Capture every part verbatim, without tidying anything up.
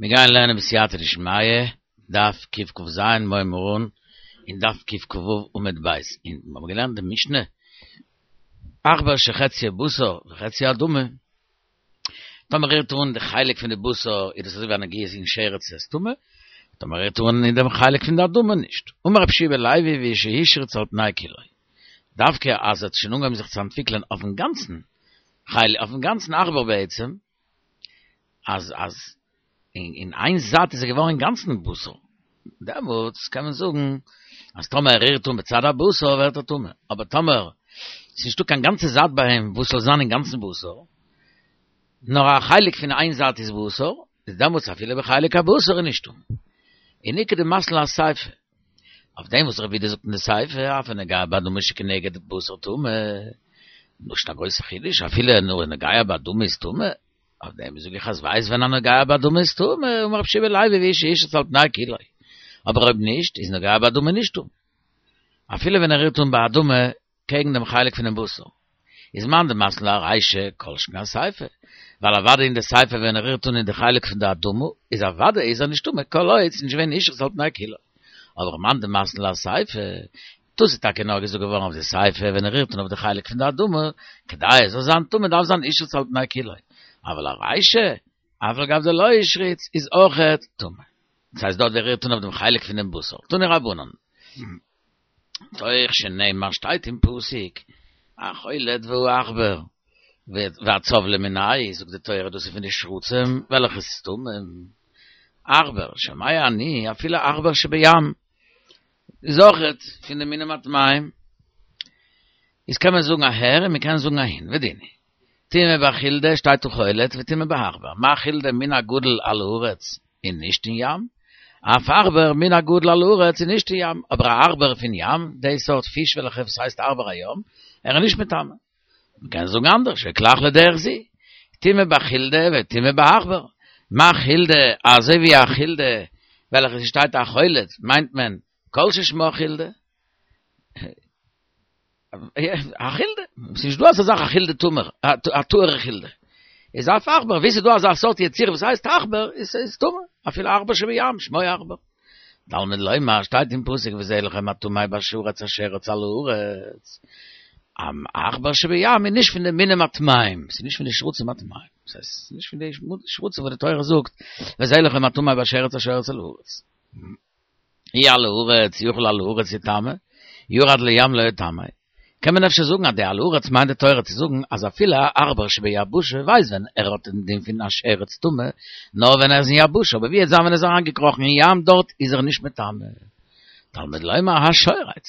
מיר גייען לערנען בסייעתא דשמיא, דף קכ"ז, מוהר"ן און דף קכ"ו עמוד ב'. און מיר האבן געלערנט די משנה, עכבר שחציו בשר וחציו אדמה, טאמער רירט אן די חלק פון די בשר איז דאס אזוי ווי א נגיעה אין שרץ איז טמא, טאמער רירט אן אין דעם חלק פון די אדמה נישט. אמר רבי יהושע בן לוי והוא שהשריץ על פני כולו. דווקא אז עס האט שוין אנגעהויבן זיך צו אנטוויקלען אויפן גאנצן חלק, אויפן גאנצן עכבר בעצם, אז אז אין אין איין זייט איז ער געווארן אינגאנצן בשר, דעמאלטס קען מען זאגן אז טאמער ער רירט אן בצד הבשר ווערט ער טמא, אבער טאמער ס'איז נישטא קיין גאנצע זייט ביי אים וואס זאל זיין אינגאנצן בשר, נאר א חלק פון איין זייט איז בשר, איז דעמאלטס אפילו בחלק הבשר איז נישט טמא. און איכא דמתני לה אסיפא. אויף דעם וואס רבי יהודה זאגט אין די סיפא, אף הנוגע באדמה שכנגד בשר טמא, נישט א גרויסע חידוש, אפילו נאר נוגע באדמה איז טמא, אויף דעם זאג איך אז ווייסט ווען א נוגע באדמה איז טמא, אמר רבי יהושע בן לוי והוא שהשריץ על פני כולו, אבער אויב נישט איז נוגע באדמה נישט טמא, אפילו ווען ער רירט אן באדמה קעגן דעם חלק פונעם בשר, איז מאן דמתני לה ארישא כל שכן אסיפא, ווייל אוודאי אין די סיפא ווען ער רירט אן אין די חלק פון די אדמה איז אוודאי איז ער נישט טמא כל עוד ס'נישט געווען השריץ על פני כולו, אבער מאן דמתני לה אסיפא, דאס איז טאקע נאר געזאגט געווארן אויף די סיפא ווען ער רירט אן אויף די חלק פון די אדמה, כדי עס זאל זיין טמא דארף זיין השריץ על פני כולו, אבל ארישא, אף על גב דלא השריץ, איז אויכעט טמא. דאס הייסט דארט ווי ער רירט אן אויף דעם חלק פונעם בשר. תנו רבנן. תוך שנאמר שטייט אין פסוק, החולד והעכבר והצב למינייהו, זאגט די תורה דאס איז פון די שרצים וועלכע איז טמא. עכבר, שומע אני, אפילו עכבר שבים. איז אויכעט פון די מינים הטמאים, איז קען מען זאגן אהער און מען קען זאגן אהין, ודין הוא. טומאה בחולדה שטייט החולד וטומאה בעכבר, מה חולדה מין הגדול על הארץ און נישט אין ים, אף עכבר מין הגדול על הארץ און נישט אין ים, אבער א עכבר פון ים, די סארט פיש וועלכע וואס הייסט עכבר הים, ער איז נישט מטמא. מען קען זאגן אנדערש, וכלך לדרך זו, טומאה בחולדה וטומאה בעכבר, מה חולדה, אזוי ווי א חולדה וועלכע ס'שטייט החולד מיינט מען כל ששמה חולדה, א חולדה, ס'נישט דא אזא זאך א חולדה טמא, א טהור'ע חולדה, איז אף עכבר, ווי ס'איז דא אזא סארט יצירה וואס הייסט עכבר, איז טמא, אפילו עכבר שבים, שמו עכבר. תלמוד לומר, שטייט אין פסוק וזה לכם הטמא בשרץ אשר רץ על הארץ. עכבר שבים איז נישט פון די מינים הטמאים, ס'איז נישט פון די שרצים הטמאים, ס'איז נישט פון די שרצים וואס די תורה זאגט וזה לכם הטמא בשרץ אשר רץ על הארץ. אי על הארץ יכול על הארץ יטמא, ירד לים לא יטמא. קען מען אפשר זאגן אז די על הארץ מיינט די תורה צו זאגן אז אפילו א עכבר שביבשה ווייסט ווען ער האט דעם דין פון א שרץ טמא נאר ווען ער איז אין יבשה אבער ווי וועט זיין ווען ער איז אריינגעקראכן אין ים דארט איז ער נישט מטמא. תלמוד לומר השורץ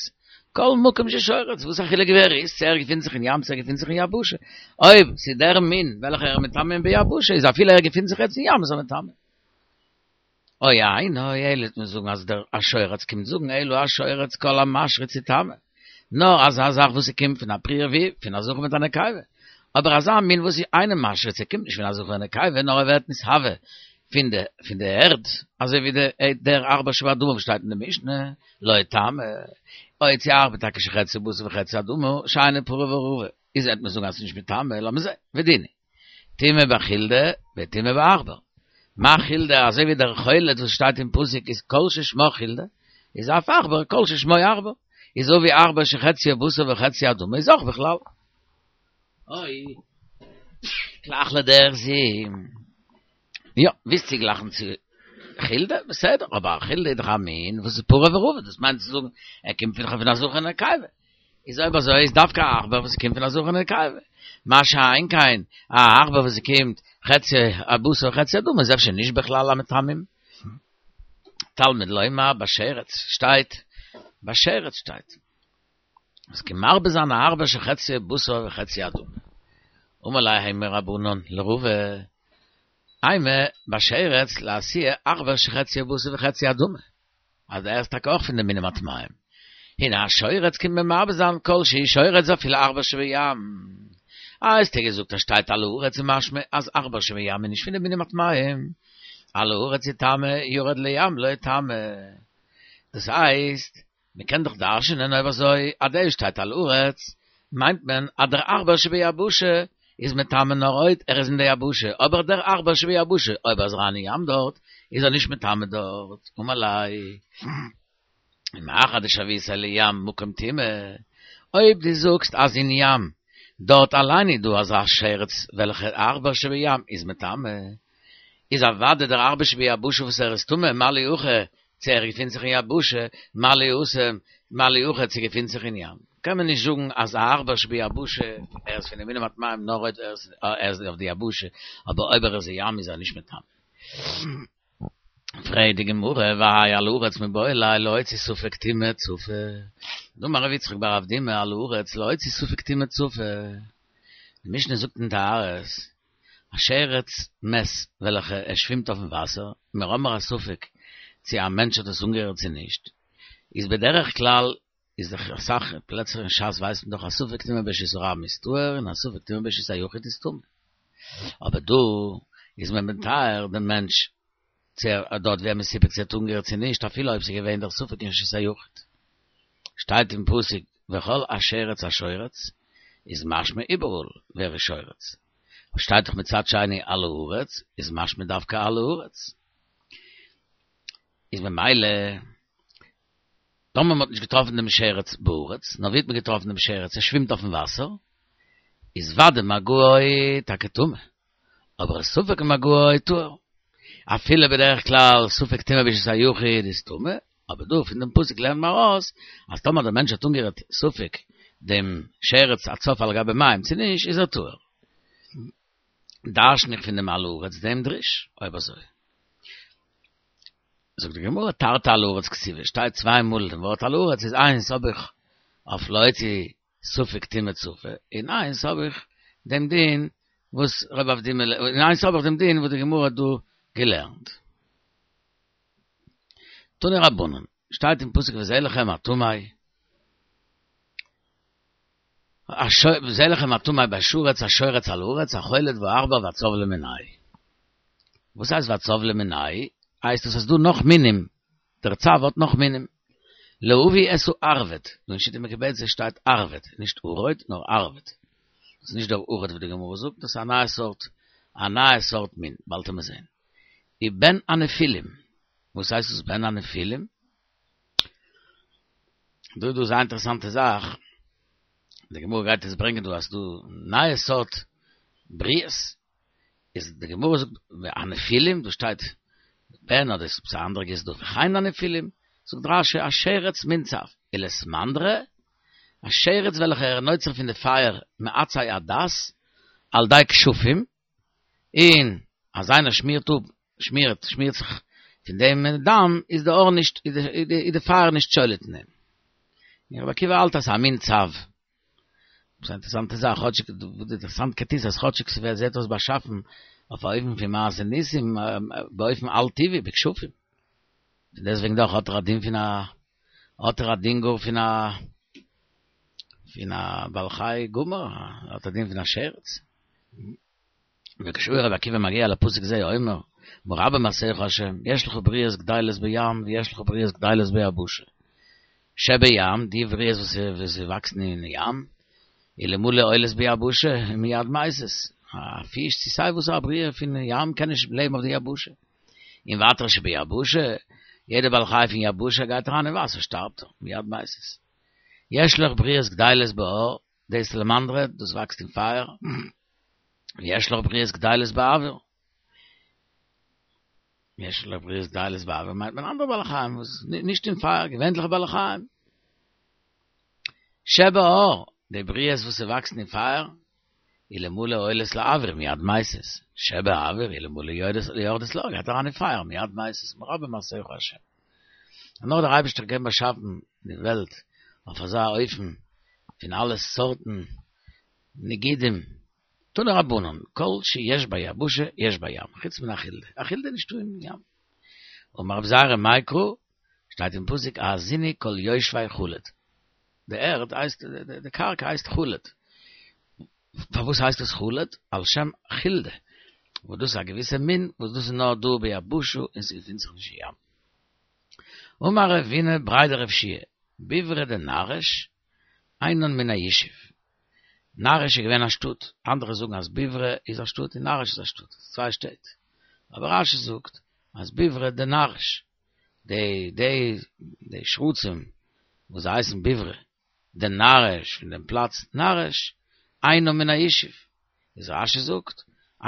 כל מקום ששורץ וואס א חילוק ווי ער איז צו ער געפינט זיך אין ים צו ער געפינט זיך אין יבשה אויב ס'איז דער מין וועלכער ער מטמא ביבשה איז אפילו ער געפינט זיך יעצט אין ים איז ער מטמא. או אינו אלא וועט מען זאגן אז דער השורץ קומט זאגן אלא השורץ כל המשריץ יטמא, נאר אזא זאך וואס ס'קומט פון א פריה ורביה, פון א זכר מיט א נקבה, אבער אזא מין וואס איז אינו משריץ ער קומט נישט פון א זכר און נקבה נאר ער ווערט נתהווה פון די פון די ערד, אזוי ווי די דער עכבר שבאדמה וואס שטייט אין די משנה, לא יטמא, או צו עכבר טאקע שחציו בשר וחציו אדמה, שאינו פרה ורבה, איז וועט מען זאגן אז ס'איז נישט מטמא, לאמיר זען, ודין הוא. טומאה בחולדה וטומאה בעכבר. מה חולדה אזוי ווי דער חולד וואס שטייט אין פסוק איז כל ששמו חולדה, איז אף עכבר כל ששמו עכבר, איז אזוי ווי עכבר שחציו בשר וחציו אדמה איז אויך בכלל. אוי. כלך לדרך זו. יא, ווילסט צוגלייכן צו חולדה? בסדר, אבער א חולדה איז דאך א מין וואס איז פרה ורבה, דאס מיינט צו זאגן ער קומט פון פון א זכר און נקבה. איז אויב אזוי איז דווקא א עכבר וואס קומט פון א זכר און נקבה. מה שאין כן א עכבר וואס קומט חצי בשר חצי אדמה איז אפשר נישט בכלל המטמאים. תלמוד לומר בשרץ שטייט, בשרץ שטייט. עס קען מרבה זיין א עכבר שחציו בשר וחציו אדמה. אמר ליה ההוא מרבנן לרבא, אימא בשרץ לאתויי עכבר שחציו בשר וחציו אדמה, אז ער איז טאקע אויך פון די מינים הטמאים. הנה השורץ קומט מען מרבה זיין כל שהוא שורץ ואפילו עכבר שבים. אה, האסטו געזאגט אז שטייט על הארץ איז משמע אז עכבר שבים איז נישט פון די מינים הטמאים. על הארץ יטמא ירד לים לא יטמא. דאס הייסט, מען קען דאך דרש'נען אויב אזוי אז דא שטייט על הארץ מיינט מען אז דער עכבר שביבשה איז מטמא נאר אויב ער איז אין די יבשה, אבער דער עכבר שביבשה, אויב ער איז אריין אין ים דארט, איז ער נישט מטמא דארט. אמר ליה, ומאחר דשויתיה לים מקום טומאה, אויב דו זאגסט אז אין ים דארט אליין איז דא אזא שרץ וועלכע עכבר שבים איז מטמא, איז אוודאי דער עכבר שביבשה וואס ער איז טמא, מה לי הכא צו ער געפינט זיך אין יבשה, מה לי התם, מה לי הכא צו געפינט זיך אין ים. קען מען נישט זאגן אז א עכבר שביבשה ער איז פון די מינים הטמאים נאר אויב ער איז אויף די יבשה, אבער אויב ער איז אין ים איז ער נישט מטמא. פרעגט די גמרא, והאי על הארץ מיבעי ליה להוציא ספק טומאה צפה, דאמר רב יצחק בר אבדימי על הארץ להוציא ספק טומאה צפה, די משנה זאגט אין טהרות, א שרץ מת וועלכע ער שווימט אויפן וואסער, מיר האבן א ספק צו א מענטש האט עס אנגערירט צו נישט, איז בדרך כלל איז דאך אסאך פלעצער אין שס ווייסט מען דאך אז ספק טומאה ברשות הרבים איז טהור און א ספק טומאה ברשות היחיד איז טמא. אבער דא איז מען מטהר דעם מענטש צו ער דארט ווי ער מסופק צו ער האט אנגערירט צו נישט אפילו אויב ס'איז געווען דער ספק אין רשות היחיד. שטייט אין פסוק וכל השרץ השורץ איז משמע איבעראל ווי ער איז שורץ. שטייט דאך מצד שני על הארץ איז משמע דווקא על הארץ. איז ממילא טאמער מ'האט נישט געטראפן דעם שרץ בארץ, נאר ווי האט מען געטראפן דעם שרץ? ער שווימט אויפן וואסער, איז ודאי מגעו טאקע טמא, אבער ספק מגעו טהור. אפילו בדרך כלל ספק טומאה ברשות היחיד איז טמא, אבער דא פון דעם פסוק לערנט מען ארויס אז טאמער דער מענטש האט אנגערירט ספק דעם שרץ הצף על גבי מים צו נישט, איז ער טהור. דרש'ן איך פון דעם על הארץ דעם דרוש, אויב אזוי. זאגט די גמרא תרתי על הארץ כתיבי, שטייט צוויי מאל דעם ווארט על הארץ איז איינס האב איך אויף להוציא ספק טומאה צפה, און איינס האב איך דעם דין וואס רב אבדימי און איינס האב איך דעם דין וואס די גמרא האט דא געלערנט. תנו רבנן, שטייט אין פסוק וזה לכם הטמא, וזה לכם הטמא בשרץ השורץ על הארץ החולד והעכבר והצב למינהו. וואס הייסט והצב למינהו? הייסט עס אז דא נאך מינים, דער צב האט נאך מינים. להביא את הערבד, דא אין שיטה מקובצת שטייט ערבד, נישט ערוד נאר ערבד. דאס איז נישט דער ערוד וואס די גמרא זאגט, דאס איז א נייע סארט, א נייע סארט מין, באלד וועט מען זען. ובן הנפילים, וואס הייסט דאס בן הנפילים? דא איז דא זייער אינטערעסאנטע זאך, די גמרא גייט עס ברענגען דא אז ס'דא נייע סארט בריות, איז די גמרא זאגט הנפילים, דא שטייט בן אדער איז עפעס א אנדערע גירסא דא וכן הנפילים, זאגט רשי א שרץ מין צב, ולסמנדרא, א שרץ וועלכע ער נוצר פון די פייער מעצי הדס, על ידי כשפים, און אז איינער שמירט אפ, שמירט, שמירט זיך פון דעם דם, איז די אור נישט, איז די פייער נישט שולט אין אים. און רבי עקיבא האלט אז ס'איז א מין צב. ס'איז א אינטערעסאנטע זאך, כאטשיג די אינטערעסאנטקייט איז אז כאטשיג ס'ווערט זעט אויס באשאפן אויף א אופן פון מעשה ניסים, באופן על טבעי, בכשפים. פון דעסטוועגן דאך האט ער א דין פון א, האט ער א דין גאר פון א, פון א בעל חי גמור, האט א דין פון א שרץ. וכשהיה רבי עקיבא מגיע לפסוק זה אומר, מה רבו מעשיך השם, יש לך בריות גדולות בים ויש לך בריות גדולות ביבשה. שבים, די בריות וואס וואקסן אין ים, אלמלא עולות ביבשה, מיד מתות. א פיש צו סיי וואס א בריאה פון ים קען נישט לעבן אויף די יבשה. און ווייטער שביבשה, יעדע בעל חי פון יבשה גייט אריין אין וואסער שטארבט ער, מיד מתות. יש לך בריות גדולות באור, די סלמנדרע, דאס וואקסט אין פייער, ויש לך בריות גדולות באויר. יש לך בריות גדולות באויר מיינט מען אנדערע בעלי חיים וואס נישט אין פייער, געווענליכע בעלי חיים. שבאור, די בריות וואס וואקסן אין פייער, אלמלא עולות לאויר מיד מתות. שבאויר, אלמלא יורדות לאור, גייט אריין אין פייער מיד מתות, מה רבו מעשיך השם. און נאר דער אייבערשטער קען באשאפן די וועלט אויף אזא אופן פון אלע סארטן נגידים, תנו רבנן, כל שיש ביבשה יש בים, חוץ מן החולדה, א חולדה איז נישטא אין ים. אמר רבי זירא מאי קרא, שטייט אין פסוק האזינו כל יושבי חלד, די ערד הייסט, די קרקע הייסט חלד, פארוואס הייסט עס חלד? על שם חולדה, וואס דאס איז א געוויסע מין וואס דאס איז נאר דא ביבשה און ס'געפינט זיך נישט אין ים. אמר רבינא בריה דרב יהושע, ביברא דנרש, אינן מן הישוב. נרש איז געווען א שטאט, אנדערע זאגן אז ביברא איז א שטאט און נרש איז א שטאט, צוויי שטעט. אבער רשי זאגט אז ביברא דנרש, די די די שרצים וואס זיי הייסן ביברא דנרש פון דעם פלאץ נרש, אינן מן הישוב, איז רשי זאגט,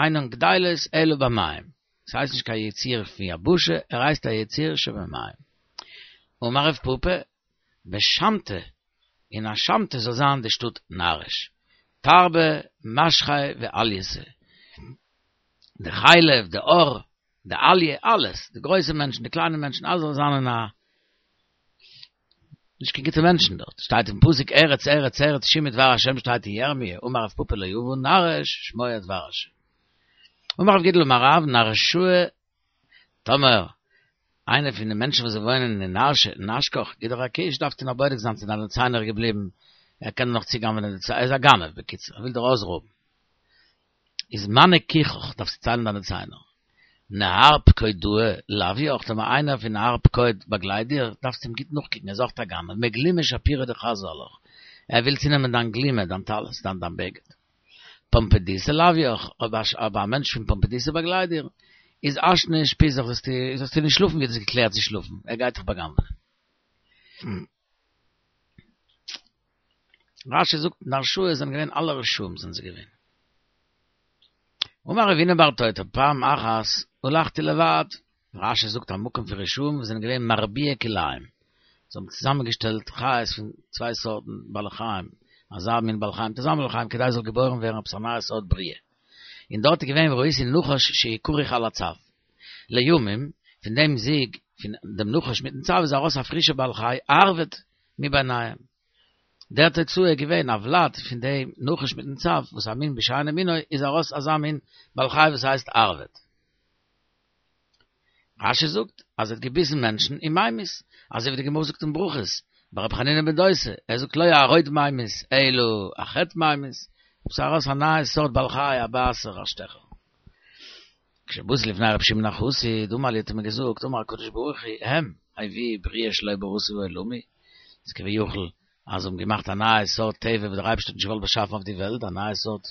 אינן גדלות אלא במים, ס'הייסט נישט קיין יציר פון יבשה, ער הייסט א יציר שבמים. אמר רב פפא, בשמתא, אין א שמתא זאל זיין די שטאט נרש. תרבה משחי ואלייתא. די חלב, די עור, די אליה, אלעס, די גרויסע מענטשן, די קליינע מענטשן, אלעס זאל זיין אין א נישט קיין גוטע מענטשן דארט. שטייט אין פסוק ארץ ארץ ארץ שמעי דבר השם שטייט אין ירמיה, אמר רב פפא לא אבה נרש שמוע דבר השם. אמר רב גידל אמר רב נרשאה טאמער איינער פון די מענטשן וואס זיי וואוינען אין נרשא נשקך גיט דיר א קיש דארפסטו נאך בודק זיין צו דיינע ציינער געבליבן ער קען נאך צוגנב'נען די ציינער ער איז א גנב בקיצור ער וויל דיר אויסרויבן איז מני כיכך דארפסטו ציילן דיינע ציינער נהר פקודאה לוויך טאמער איינער פון נהר פקוד באגלייט דיר דארפסטו אים גוט נאכקוקן ער איז אויך א גנב מגלימא שפירא דחזי עלך ער וויל צונעמען דיין גלימה דיין טלית דיין דיין בגד פומבדיתא לוויך, אויב א מענטש פון פומבדיתא באגלייט דיר, איז אשנא אושפיזך, זאלסטו זאלסטו נישט שלאפן ווי דו האסט געקלערט צו שלאפן, ער גייט דיך בא'גנב'ענען. רשי זאגט נרשאה זענען געווען אלע רשעים זענען זיי געווען. אמר רב הונא בר תותי פעם אחת הלכתי לבד, רשי זאגט א מקום פון רשעים וואס זענען געווען מרביעי כלאים, זיי האבן צוזאמענגעשטעלט חיות פון צוויי סארטן בעלי חיים, אזא מין בעל חיים מיט אזא בעל חיים כדי עס זאל געבוירן ווערן עפעס א נייע סארט בריאה. און דארט איז געווען וראיתי נחש שהוא כרוך על הצב. לימים, פון דעם זיווג פון דעם נחש מיטן צב איז ארויס א פרישע בעל חי ערבד מביניהם. דער תוצאה איז געווען א ולד פון דעם נחש מיטן צב, וואס א מין בשאינו מינו איז ארויס אזא מין בעל חי וואס הייסט ערבד. רשי זאגט אז ער האט געביסן מענטשן און ממית, אזוי ווי די גמרא זאגט אין ברכות, ביי רבי חנינא בן דוסא, ער זאגט לא הערוד ממית אלא החטא ממית, עס איז ארויס א נייע סארט בעל חי א בייסער א שטעכער. כשבאתי לפני רבי שמעון החסיד אמר לי האט ער מיר געזאגט אמר הקדוש ברוך הוא הם הביאו בריאה שלא בראתי בעולמי, איז כביכול אז זיי האבן געמאכט א נייע סארט טבע וואס דער אייבערשטער האט נישט געוואלט באשאפן אויף די וועלט, א נייע סארט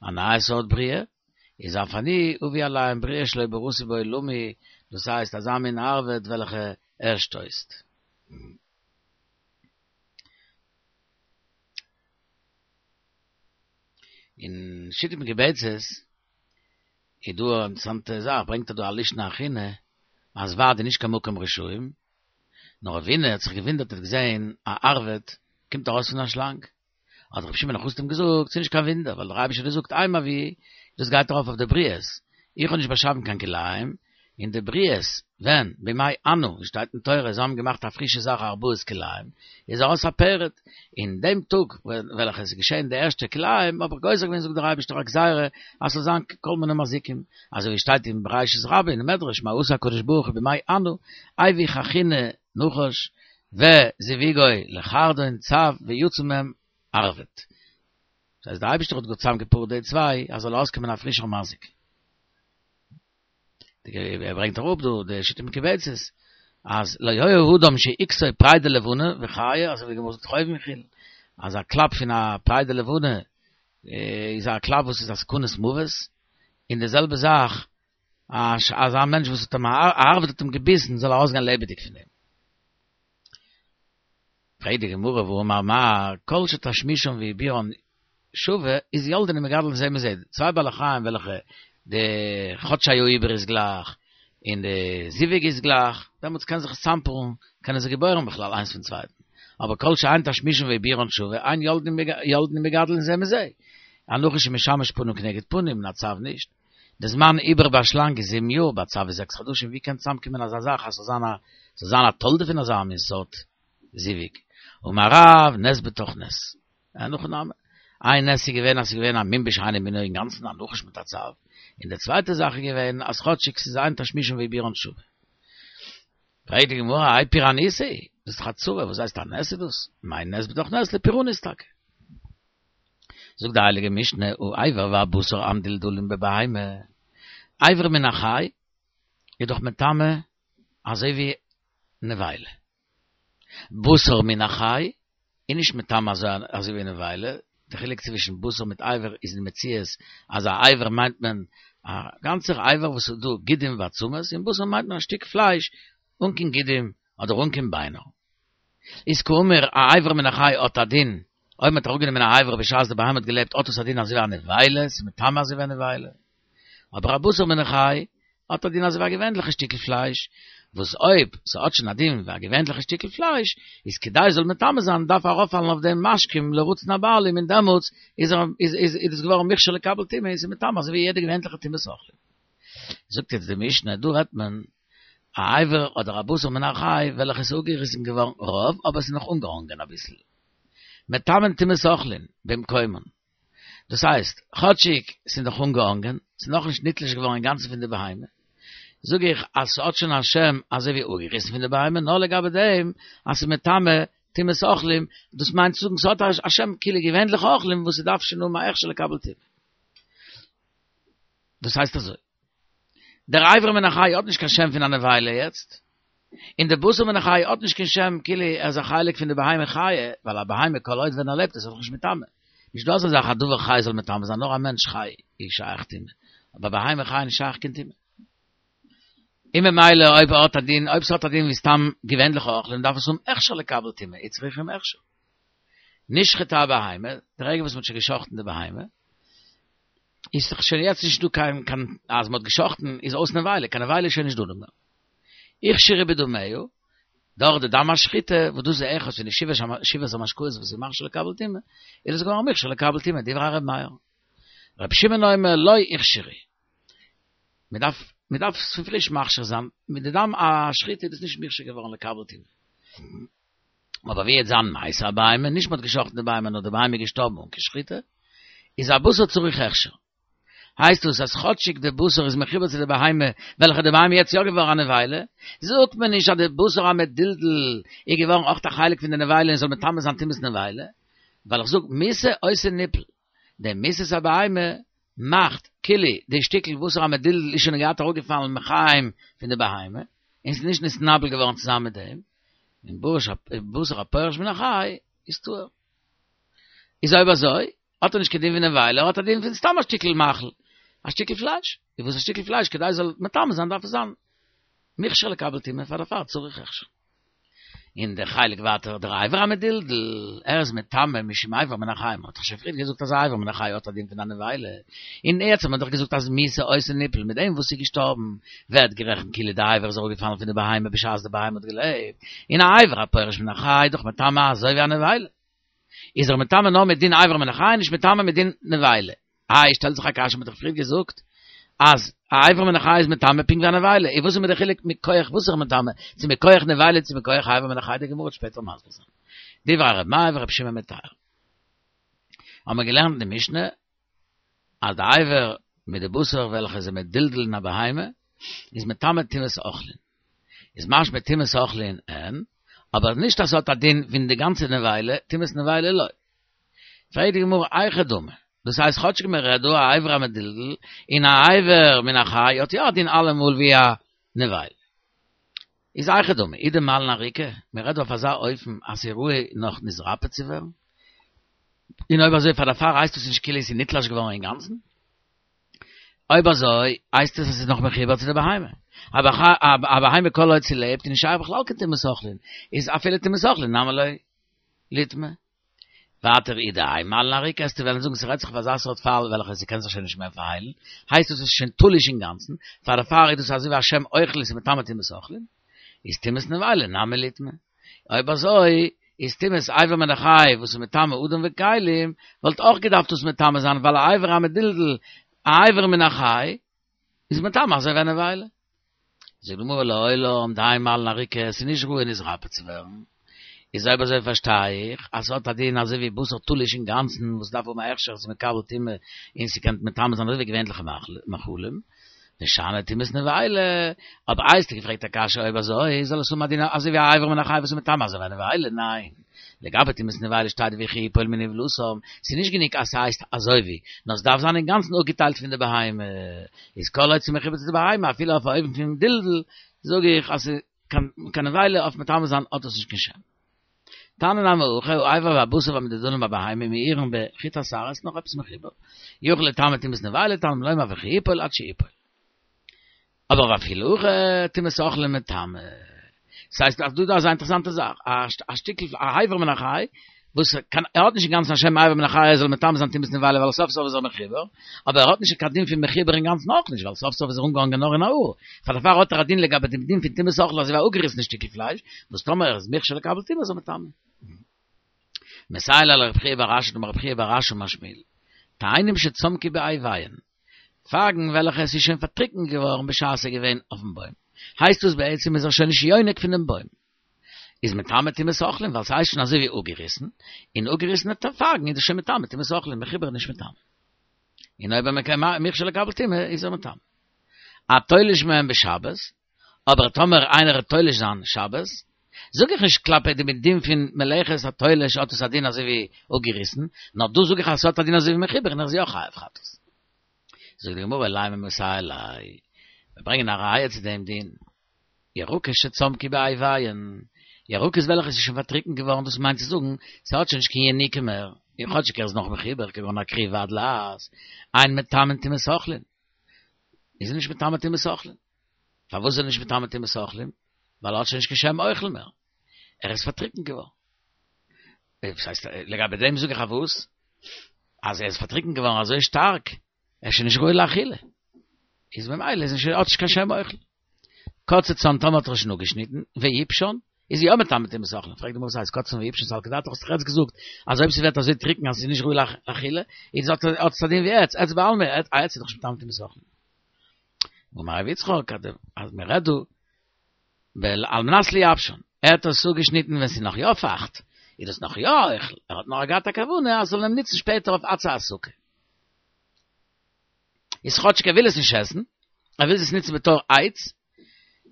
א נייע סארט בריאה, איז אף אני אביא עליהם בריאה שלא בראתי בעולמי, דאס הייסט אזא מין ערבד וועלכע ער שטויסט. אין שיטה מקובצת איז דא א אינטערעסאנטע זאך, ברענגט ער דא א לישנא אחרינא אז ורד איז נישט קיין מקום רשעים, נאר רבינא האט זיך געוואונדערט ער האט געזען א ערבד קומט ארויס פון א שלאנג, האט רבי שמעון החסיד אים געזאגט, ס'איז נישט קיין וואונדער, ווייל דער אייבערשטער האט געזאגט הם הביאו, דאס גייט ארויף אויף די בריות, איך האב נישט באשאפן קיין כלאים, און די בריות, ווען, בימי ענה, ווי שטייט אין תורה, זיי האבן געמאכט א פרישע זאך ארבעת כלאים, איז ארויס א פרד, אין דעם טאג וועלכע עס איז געשען די ערשטע כלאים, האב איך גוזר געווען זאגט דער אייבערשטער א גזירה, אז ס'זאל זיין כל מיני מזיקים, אזוי ווי שטייט אין בראשית רבה אין מדרש, מה עשה הקדוש ברוך הוא בימי ענה, הביא חכינה נחש, וזיווגו לחרדון צב ויצא מהם ערבד. דאס הייסט דער אייבערשטער האט גאר צוזאמגעפארט די צוויי אז זאל ארויסקומען א פרישער מזיק. ער ברענגט אראפ דא די שיטה מקובצת אז לא היה אדם שהכתו פרידה לבנה וחי, אזוי ווי די גמרא זאגט חובין וכו', אז א קלאפ פון א פרידה לבנה איז א קלאפ וואס איז א סכנת מוות, און די זעלבע זאך אז א מענטש וואס האט אים א ערבד האט אים געביסן זאל ארויסגיין לעבעדיג פון דעם. פרעגט די גמרא והאמר מר כל שתשמישן ועיבורן שווה איז יולדין ומגדלין זה מזה, צוויי בעלי חיים וועלכע די חדשי העיבור איז גלייך און די זיווג איז גלייך, דעמאלטס קען זיך עס צאמפארן, קענען זיי געבוירן בכלל איינס פון צווייטן, אבער כל שאין תשמישן ועיבורן שווה אין יולדין ומגדלין זה מזה, א נחש איז משמש פנים כנגד פנים און א צב נישט. די זמן עיבור ביי א שלאנג איז זיבן יאר, ביי א צב איז זעקס חדשים, ווי קען צוזאמקומען אזא זאך אז ס'זאל זיין א ס'זאל זיין א תולדה פון אזא מין סארט זיווג? אמר רב, נס בתוך נס. אין הכי נמי. איין נס איז געווען אז ס'איז געווען א מין בשאינו מינו אינגאנצן א נחש מיט א צב, און די צווייטע זאך איז געווען אז כאטשיג ס'איז אין תשמישן ועיבורן שווה. פרעגט די גמרא, האי פורענותא היא, דאס איז דאך א צרה, וואס הייסט א נס איז דאס? מאי נס בתוך נס לפורענות טאקע. זאגט די הייליגע משנה, האבר והבשר המדולדלים בבהמה, אבר מן החי איז דאך מטמא אזוי ווי נבילה, בשר מן החי איז נישט מטמא אזוי ווי נבילה, די חילוק צווישן בשר מיט אבר איז אין מציאות אז א אבר מיינט מען א גאנצער אבר וואס איז דא גידים ועצמות, און בשר מיינט מען א שטיק פלייש אן קיין גידים אדער אן קיין ביינער. איז כאמור א אבר מן החי האט א דין, אויב מ'האט אראפגענומען א אבר בשעת די בהמה האט געלעבט האט עס א דין אזוי ווי א נבילה, ס'איז מטמא אזוי ווי א נבילה. אבער א בשר מן החי האט א דין אזוי ווי א געווענליכע שטיקל פלייש, וואס אויב ס'האט שוין א דין ווי א געווענליכע שטיקל פלייש, איז כדי ס'זאל מטמא זיין דארף ארויפפאלן אויף דעם משקים לרצון הבעלים און דעמאלטס איז ער איז איז איז דאס געווארן מוכשר לקבל טומאה און ס'איז מטמא אזוי ווי יעדע געווענליכע טומאת אוכלים. זאגט יעצט די משנה, דא רעדט מען א אבר אדער א בשר מן החי וועלכע איז אפגעריסן געווארן רוב אבער ס'איז נאך אנגעהאנגען אביסל. מטמאין טומאת אוכלין במקומן. דאס הייסט, כאטשיג ס'איז נאך אנגעהאנגען, ס'איז נאכנישט נתלש געווארן אינגאנצן פון די בהמה, זאג איך אז ס'האט שוין א שם אזוי ווי אפגעריסן פון די בהמה, נאר לגבי דעם אז ס'איז מטמא טומאת אוכלים, דאס מיינט צו זאגן ס'האט א שם כאילו געווענליכע אוכלים וואס ס'דארף שוין האבן א הכשר לקבל טומאה. דאס הייסט אזוי, דער אבר מן החי האט נישט קיין שם פון א נבילה יעצט, און דער בשר מן החי האט נישט קיין שם כאילו ער איז א חלק פון די בהמה חיה, ווייל א בהמה כל עוד ווען ער לעבט איז ער דאך נישט מטמא. נישט דא אזא זאך א דבר חי זאל מטמא זיין, נאר א מענטש חי איז שייך טומאה, אבער בהמה חיה איז נישט שייך קיין טומאה. און ממילא אויב ער האט א דין, אויב ס'האט א דין ווי סתם געווענליכע אוכלים דארף עס האבן הכשר לקבל טומאה, וצריכים הכשר. נשחטה הבהמה, די רגע וואס מ'האט שוין גע'שחט'ן די בהמה, איז דאך שוין יעצט נישט דא קיין קיין אז מ'האט גע'שחט'ן איז אויס נבילה, קיין נבילה איז שוין נישט דא מער. הוכשרו בדמיה, דורך די דם השחיטה, וואס דאס איז אחד פון די שבעת המשקאות וואס איז מכשיר לקבל טומאה, איז עס געווארן מוכשר לקבל טומאה, דברי ר' מאיר. ר' שמעון אומר לא הוכשרו. מען דארף מען דארף עס פון פריש מכשיר זיין, מיט די דם השחיטה איז דאס נישט מוכשר געווארן לקבל טומאה. אבער ווי וועט זיין מתה הבהמה, נישט מען האט געשחט'ן די בהמה נאר די בהמה איז געשטארבן אן קיין שחיטה, איז הבשר צריך הכשר. הייסט דאס אז כאטשיג די בשר איז מחובר צו די בהמה, וועלכע די בהמה יעצט יא געווארן א נבילה, זאגט מען נישט אז די בשר המדולדל איז געווארן אויך א חלק פון די נבילה און זאל מטמא זיין טומאת נבילה, ווייל איך זאג מיתה עושה ניפול, די מיתת הבהמה מאכט כאילו די שטיקל בשר המדולדל איז שוין געהאט אראפגעפאלן מחיים פון די בהמה, און ס'איז נישט נתנבל געווארן צוזאמען מיט דעם, און בשר הפורש מן החי איז טהור. איז אויב אזוי, האט ער נישט קיין דין פון נבילה, ער האט א דין פון סתם א שטיקל מאכל, א שטיקל פלייש, איז וואס א שטיקל פלייש כדי עס זאל מטמא זיין דארף עס זיין מוכשר לקבל טומאה פאר דערפאר צריך הכשר. און דער חלק ווייטער דער אבר המדולדל, ער איז מטמא משום אבר מן החי, מען האט דאך שוין פריער געזאגט אז אבר מן החי האט א דין פון א נבילה, און יעצט האט מען דאך געזאגט אז מיתה עושה ניפול מיט דעם וואס איז געשטארבן ווערט גערעכנט כאילו די אבר איז אראפגעפאלן פון די בהמה בשעת די בהמה האט געלעבט, און א אבר הפורש מן החי איז דאך מטמא אזוי ווי א נבילה. איז ער מטמא נאר מיט דין אבר מן החי נישט מטמא מיט דין נבילה. איי שטעלט זיך א קשיא מ'האט דאך פריער געזאגט אז א אבר מן החי איז מטמא פונקט ווי א נבילה, איז וואס איז מיר די חילוק מכח וואס איז ער מטמא, צו מכח נבילה צו מכח אבר מן החי די גמרא וועט שפעטער מסביר זיין. דברי ר' מאיר ור' שמעון מטהר. האבן מיר געלערנט אין די משנה אז די אבר מיט די בשר וועלכע איז מדולדל אין א בהמה איז מטמא טומאת אוכלין. איז משמע טומאת אוכלין אין, אבער נישט אז ס'האט א דין פון די גאנצע נבילה, טומאת נבילה לא. פרעגט די גמרא היכי דמי, דאס הייסט כאטשיג מען רעדט דא א אבר המדולדל און א אבר מן החי האט יא א דין אלעמאל ווי א נבילה. איז היכי דמי, אי דמלין עריקא, מען רעדט דא אויף אזא אופן אז ס'איז ראוי נאך נתרפא צו ווערן, און אויב אזוי פאר דערפאר הייסט עס נישט כאילו עס איז נתלש געווארן אינגאנצן? אויב אזוי הייסט עס אז ס'איז נאך מחובר צו די בהמה. א בהמה כל עוד ס'לעבט איז נישט שייך בכלל קיין טומאת אוכלין, איז אפילו טומאת אוכלין נמי לא ליטמא. ווייטער אי דאין מלין עריקא וועסטו וועלן זאגן ס'רעדט זיך אויף אזא סארט פאל וועלכע ס'קען זיך שוין נישט מער פארהיילן, הייסט עס איז שוין תלוש אינגאנצן, פאר דערפאר איז דאס אזוי ווי א שם אוכלין ס'איז מטמא טומאת אוכלין, איז טומאת נבילה נמי ליטמא. אויב אזוי איז טומאת אבר מן החי וואס איז מטמא אדם וכלים וואלט אויך געדארפט דאס מטמא זיין ווייל א אבר המדולדל א אבר מן החי איז מטמא אזוי ווי א נבילה. זאגט די גמרא לעולם דאין מלין עריקא עס איז נישט ראוי נתרפא צו ווערן, איז אויב אזוי פארשטיי איך אז ס'האט א דין אזוי ווי בשר תלוש אינגאנצן וואס דארף האבן א הכשר ס'איז מקבל טומאה און ס'קען מטמא זיין אזוי ווי געווענליכע מאכלים, ושאני טומאת נבילה, אבער איי האסטו געפרעגט א קשיא אויב אזוי זאל עס האבן א דין אזוי ווי א אבר מן החי וואס איז מטמא אזוי ווי א נבילה, ניין, לגבי טומאת נבילה שטייט וכי יפול מנבלתם, ס'איז נישט גענוג אז ס'הייסט אזוי ווי, נאר ס'דארף זיין אינגאנצן אפגעטיילט פון די בהמה, איז כל עוד ס'מחובר צו די בהמה אפילו אויף א אופן פון דלדול, זאג איך אז קיין נבילה אויף מטמא זיין האט עס נישט קיין שם. תנא נמי הכי, האבר והבשר והמדודלים בבהמה מעורין בחוט השערה, איז נאך עפעס מחובר. יוכל לטמא טומאת נבילה, תלמוד לומר וכי יפול עד שיפול. אבער ואפילו הכי טומאת אוכלים מטמא. דאס הייסט אז דא דא איז א אינטערעסאנטע זאך, א שטיקל א אבר מן החי, וואס קען ער האט נישט אינגאנצן א שם אבר מן החי ער זאל מטמא זיין טומאת נבילה ווייל סוף סוף איז ער מחובר, אבער ער האט נישט קיין דין פון מחובר אינגאנצן אויך נישט ווייל סוף סוף איז ער אנגעהאנגען נאר אין א האר, פאר דערפאר האט ער א דין לגבי דעם דין פון טומאת אוכלים אזוי ווי א אפגעריסענע שטיקל פלייש, וואס טאמער ער איז מוכשר לקבל טומאה איז ער מטמא. מסייע ליה לרב חייא בר אשי דאמר רב חייא בר אשי אמר שמואל, תאנים שצמקו באיביהן, פייגן וועלכע עס איז שוין פארטריקנט געווארן בשעת עס איז געווען אויפן בוים, הייסט דאס בעצם איז ער שוין נישט יונק פונעם בוים, איז מטמא טומאת אוכלים ווייל ס'הייסט שוין אזוי ווי אפגעריסן, און אפגעריסענע פייגן איז דאס שוין מטמא טומאת אוכלים, מחובר איז נישט מטמא. און אויב ער מוכשר לקבל טומאה איז ער מטמא. התולש מהם בשבת, אבער טאמער איינער וועט תולש זיין שבת, זאג איך נישט כלפי דעם דין פון מלאכת התולש האט עס א דין אזוי ווי אפגעריסן, נאר דא זאג איך אז ס'האט א דין אזוי ווי מחובר און ער איז יא חייב חטאת. זאגט די גמרא לימא מסייע ליה, מיר ברענגען א ראיה צו דעם דין, ירקות שצמקו באיביהן, ירקות וועלכע איז שוין פארטריקנט געווארן דאס מיינט צו זאגן ס'האט שוין נישט קיין יניקה מער, און כאטשיג ער איז נאך מחובר כגון הכרוב והדלעת, אין מטמאין טומאת אוכלין, איז ער נישט מטמא טומאת אוכלין. פארוואס איז ער נישט מטמא טומאת אוכלים? ווייל ער האט שוין נישט קיין שם אוכל מער, ער איז פארטריקנט געווארן. וואס הייסט, לגבי דעם זאג איך אז וואס? אז ער איז פארטריקנט געווארן אזוי שטארק, ער איז שוין נישט ראוי לאכילה. איז ממילא איז נישט, האט נישט קיין שם אוכל. קצצן טאמער האט ער שוין אפגעשניטן, ויבשן, איז יא מטמא טומאת אוכלים. פרעגט די גמרא וואס הייסט קצצן ויבשן סלקא דעתך האסט דאך יעצט געזאגט אז אויב ס'ווערט אזוי טריקן אז ס'איז נישט ראוי לאכילה, איז האט עס א דין ווי עץ, עץ בעלמא, א עץ איז דאך נישט מטמא טומאת אוכלים. אמר רב יצחק אז מען רעדט דא על מנת לייבשן, ער האט עס אפגעשניטן ווען ס'איז נאך יא פייכט, איז דאס נאך יא אוכל, ער האט נאר געהאט א כוונה אז זאל אים נוצן שפעטער אויף עצי הסוכה. איז כאטשיג ער וויל עס נישט עסן, ער וויל עס נוצן בתור עץ,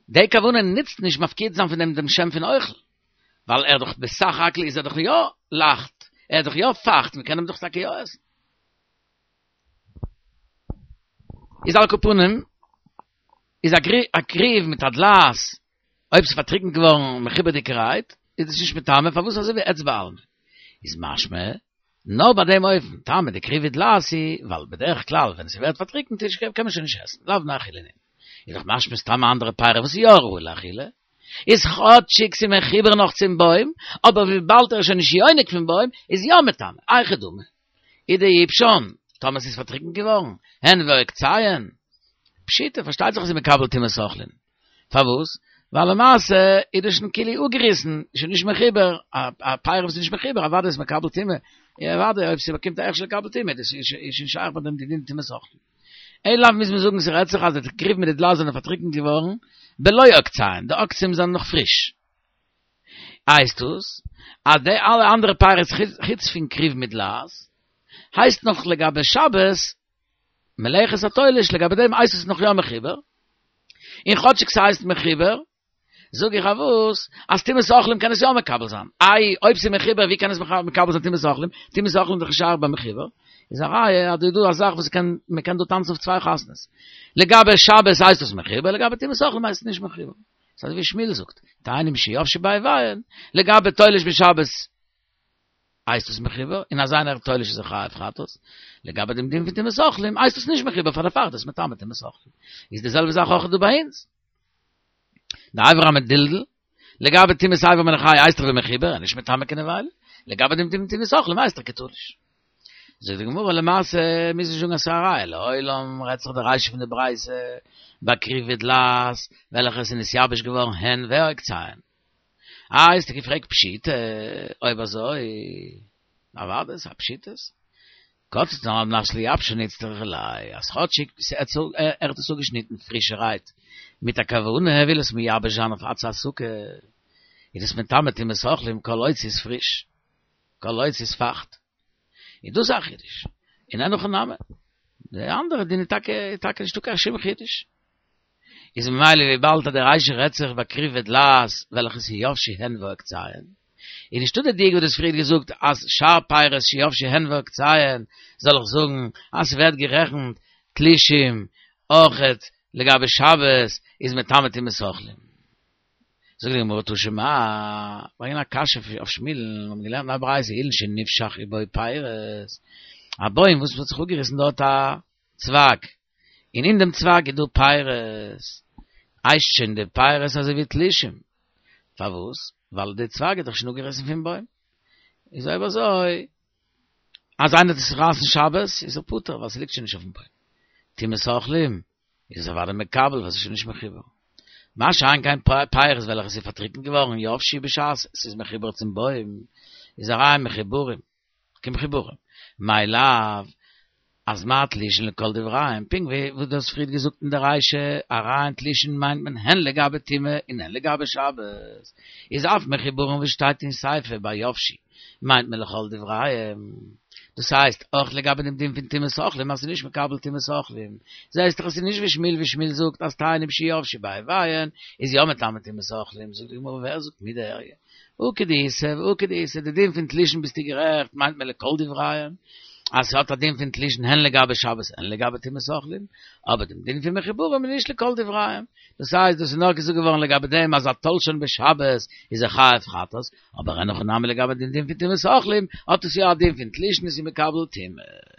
די כוונה נוצט נישט מפקיע זיין פון דעם דעם שם פון אוכל, ווייל ער דאך בסך הכל איז ער דאך יא לייכט, ער איז דאך יא פייכט, מען קען אים דאך טאקע יא עסן. איז על כל פנים, איז א כרוב מיט א דלעת, אויב ס'איז פארטריקנט געווארן מחובר'דיגערהייט, איז עס נישט מטמא, פארוואס אזוי ווי עץ בעלמא? איז משמע, נאר ביי דעם אופן, טעמא דכרוב ודלעת הוא, ווייל בדרך כלל ווען ס'ווערט פארטריקנט איז קען מען שוין נישט עסן, לאו בני אכילה נינהו. איז דאך משמע סתם אנדערע פירות וואס איז יא ראוי לאכילה, איז כאטשיג ס'איז מחובר נאך צום בוים, אבער וויבאלד ער איז שוין נישט יונק פון בוים, איז יא מטמא, היכי דמי. אידייבשן, טאמער ס'איז פארטריקנט געווארן, הן ועוקציהן. פשיטא, פארשטייט זיך אז ס'איז מקבל טומאת אוכלין. פארוואס? ווייל למעשה איז דאס שוין כאילו אפגעריסן, שוין נישט מחובר, א פרי וואס איז נישט מחובר אוודאי איז מקבל טומאה, אוודאי אויב ס'באקומט א הכשר לקבל טומאה, דאס איז שוין שייך ביי דעם די דין טומאת אוכלין. אלא מוז מען זאגן ס'רעדט זיך אז די כרוב מיט די דלעת זענען פארטריקנט געווארן בלא עוקציהן, די עוקצים זענען נאך פריש. הייסט דאס אז די אלע אנדערע פירות חוץ פון כרוב מיט דלעת הייסט נאך לגבי שבת מלאכת התולש לגבי דעם הייסט עס נאך יא מחובר, און כאטשיג ס'הייסט מחובר, זאג איך אז וואס, אז טומאת אוכלים קען עס יא מקבל זיין, איי אויב ס'איז מחובר ווי קען עס מקבל זיין טומאת אוכלים, טומאת אוכלים איז דאך נישט שייך ביי מחובר, איז א ראיה אז דא איז דא א זאך וואס קען, מ'קען דא טאנצן אויף צוויי חתונות, לגבי שבת הייסט עס מחובר, לגבי טומאת אוכלים הייסט עס נישט מחובר. ס'איז אזוי ווי שמואל זאגט, תאנים שיבשו באיביהן, לגבי תולש בשבת הייסט עס מחובר, און אז איינער תולש איז ער חייב חטאת, לגבי דעם דין פון טומאת אוכלים הייסט עס נישט מחובר פאר דערפאר איז דאס מטמא טומאת אוכלים. איז די זעלבע זאך אויך דא ביי אונז. די אבר המדולדל, לגבי טומאת אבר מן החי הייסט ער ווי מחובר, און נישט מטמא קיין נבילה, לגבי דעם דין פון טומאת אוכלים הייסט ער כתלוש. זאגט די גמרא למעשה מוז נישט זאגן אז ס'איז א ראיה, לעולם רעדט זיך די רישא פון די ברייתא בכרוב ודלעת וועלכע עס איז נתייבש געווארן הן ועוקציהן. איי האסטו געפרעגט פשיטא, אויב אזוי אוודאי ס'איז א פשיטות. קצצן על מנת לייבשן איצטריכא ליה, אז כאטשיג ער האט עס אפגעשניטן פרישערהייט מיט א כוונה ער וויל עס מייבש זיין אויף עצי הסוכה, איז עס מטמא טומאת אוכלים כל עוד ס'איז פריש, כל עוד ס'איז פייכט. איז דאס א חידוש. און אין הכי נמי, די אנדערע דין איז טאקע טאקע נישטא קיין שום חידוש. איז ממילא וויבאלד אז די רישא רעדט זיך בכרוב ודלעת וועלכע איז יבשו הן ועוקציהן, איז נישטא די דיוק וואס דו האסט פריער געזאגט אז שאר פירות שיבשו הן ועוקציהן זאל איך זאגן אז ס'ווערט גערעכנט תלושים אויכעט לגבי שבת איז מטמא טומאת אוכלים. זאגט די גמרא תא שמע, ברענגען א קשיא אויף שמואל'ן, מיר האבן געלערנט אין א ברייתא אילן שנפשך ובו פירות, א בוים וואס האט זיך אפגעריסן דארט א צווייג, און אין דעם צווייג איז דא פירות, הייסט שוין די פירות אזוי ווי תלושים, פארוואס? ווייל די צווייג איז דאך שוין אפגעריסן פון בוים, איז אויב אזוי אז איינער טוט עס רייסן שבת איז ער פטור ווייל ס'ליגט שוין נישט אויפן בוים, טומאת אוכלים איז עס אוודאי מקבל ווייל ס'איז שוין נישט מחובר. מה שאין כן פירות וועלכע ס'איז פארטריקנט געווארן יבשו בשעת ס'איז מחובר צום בוים, איז הרי הן מחוברים, כמחוברים. מאי לאו, אז מה תלישין לכל דבריהם, פונקט ווי וואס דו האסט פריערט געזאגט אין די רישא, הרי הן תלושין מיינט מען הן לגבי טומאה און הן לגבי שבת, איז אף מחוברים וואס שטייט אין סיפא ביי יבשו מיינט מען לכל דבריהם. דאס הייסט, אויך לגבי דעם דין פון טומאת אוכלים אז ס'איז נישט מקבל טומאת אוכלים, זעהסט דאך אז ס'איז נישט ווי שמואל ווי שמואל זאגט אז תאנים שיבשו באיביהן איז יא מטמא טומאת אוכלים, זאגט די גמרא ווער זאגט מידי איריא הא כדאיתא והא כדאיתא, די דין פון תלושין ביסטו גערעכט מיינט מען לכל דבריהם אז ס'האט א דין פון תלושין הן לגבי שבת הן לגבי טומאת אוכלים, אבער דעם דין פון מחוברים איז נישט לכל דבריהם, דאס הייסט דאס איז נאר געזאגט געווארן לגבי דעם אז התולשן בשבת איז ער חייב חטאת, אבער אין הכי נמי לגבי דעם דין פון טומאת אוכלים האט עס יא א דין פון תלושין איז מקבל טומאה.